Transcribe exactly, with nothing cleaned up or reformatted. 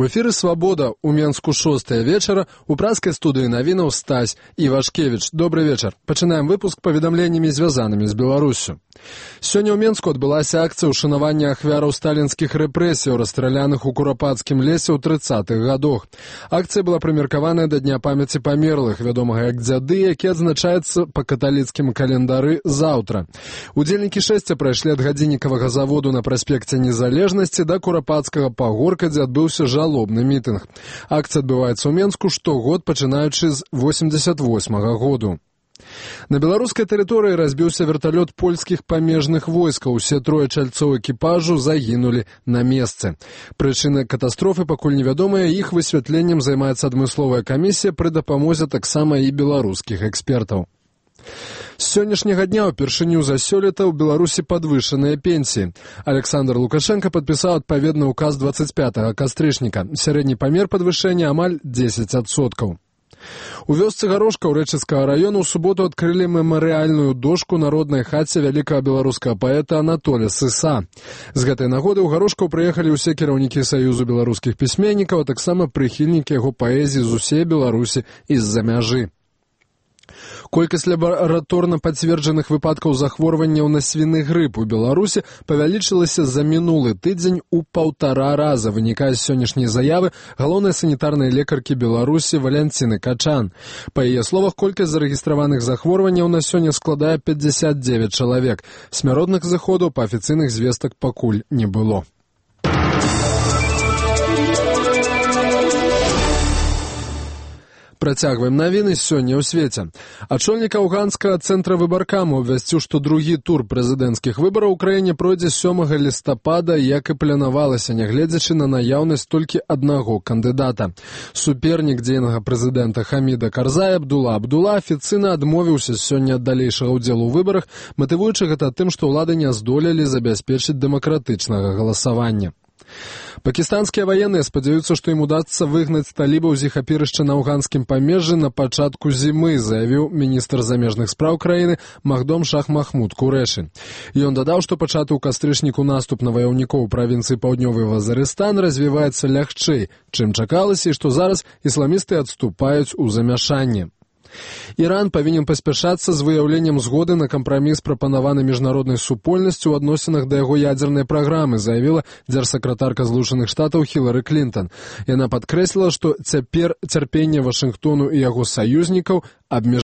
У эфіры «Свабода» у Менску шостая вечара, у праскай студыі навінаў Стась Івашкевіч. Добрый вечар. Пачынаем выпуск паведамленнямі, звязанымі з Беларуссю. Сёння ў Менску адбылася акцыя ўшанавання ахвяраў сталінскіх рэпрэсіяў, расстраляных у Курапацкім лесе ў трыццатых гадах. Акцыя была прымеркаваная да Дня памяці памерлых, вядомага як дзяды, які адзначаецца па каталіцкім календары заўтра. Удзельнікі шэсця прайшлі ад гадзіннікавага заводу на праспекце Незалежнасці да Курапацкага пагорка, дзе адбыўся жалобны мітынг. Акцыя адбываецца ў Менску штогод, пачынаючы з восемьдесят восьмага году. На беларускай тэрыторыі разбіўся верталёт польскіх памежных войскаў. Усе трое чальцоў экіпажу загінулі на месцы. Прычыны катастрофы пакуль невядомыя, іх высвятленнем займаецца адмысловая камісія пры дапамозе таксама і беларускіх экспертаў. З сённяшняга дня ўпершыню за сёлета ў Беларусі падвышаныя пенсіі. Александр Лукашенко падпісаў адпаведны указ двадцать пятага кастрычніка. Сярэдні памер падвышэння амаль дзесяць адсоткаў. У вёсцы Гарошка ў Рэчыцкага раёну ў суботу адкрылі мемарыяльную дошку народнай хаце вялікага беларускага паэта Анатолія Сыса. З гэтай нагоды ў Гарошкаў прыехалі ўсе кіраўнікі Саюзу беларускіх пісьменнікаў, а таксама прыхільнікі яго паэзіі з усей Беларусі і з-за мяжы. Колькасць лабараторна пацверджаных выпадкаў захворванняў на свіны грып у Беларусі павялічылася за мінулы тыдзень у паўтара раза, вынікае з сённяшняй заявы галоўнай санітарнай лекаркі Беларусі Валянціны Качан. Па яе словах, колькасць зарэгістраваных захворванняў на сёння складае пятьдесят девять чалавек. Смяротных зыходаў па афіцыйных звестак пакуль не было. Працягваем навіны сёння ў свеце. Ачольнік афганскага цэнтра выбаркаму абвясціў, што другі тур прэзідэнцкіх выбараў у краіне пройдзе сёмага лістапада, як і планавалася, нягледзячы на наяўнасць толькі аднаго кандыдата. Супернік дзейнага прэзідэнта Хаміда Карзая Абдула Абдула афіцыйна адмовіўся сёння ад далейшага ўдзелу ў выбарах, матывуючы гэта тым, што ўлады не здолелі забяспечыць дэмакратычнага галасавання. Пакістанскія ваенныя спадзяюцца, што ім удасца выгнаць талібаў з іх апірышча на афганскім памежжы на пачатку зімы, заявіў міністр замежных спраў краіны Махдом Шах Махмуд Курэші. Ён дадаў, што пачаты ў кастрычніку наступ на ваяўнікоў правінцыі Паўднёвы Вазарыстан развіваецца лягчэй, чым чакалася, і што зараз ісламісты адступаюць у замяшанне. Іран павінен паспяшацца з выяўленнем згоды на кампраміс, прапанаваны міжнароднай супольнасцю ў адносінах да яго ядзернай праграмы, заявіла дзяржсакратарка Злучаных Штатаў Хілары Клінтон. Яна падкрэсліла, што цяпер цярпенне Вашынгтону і яго саюзнікаў абмежавана.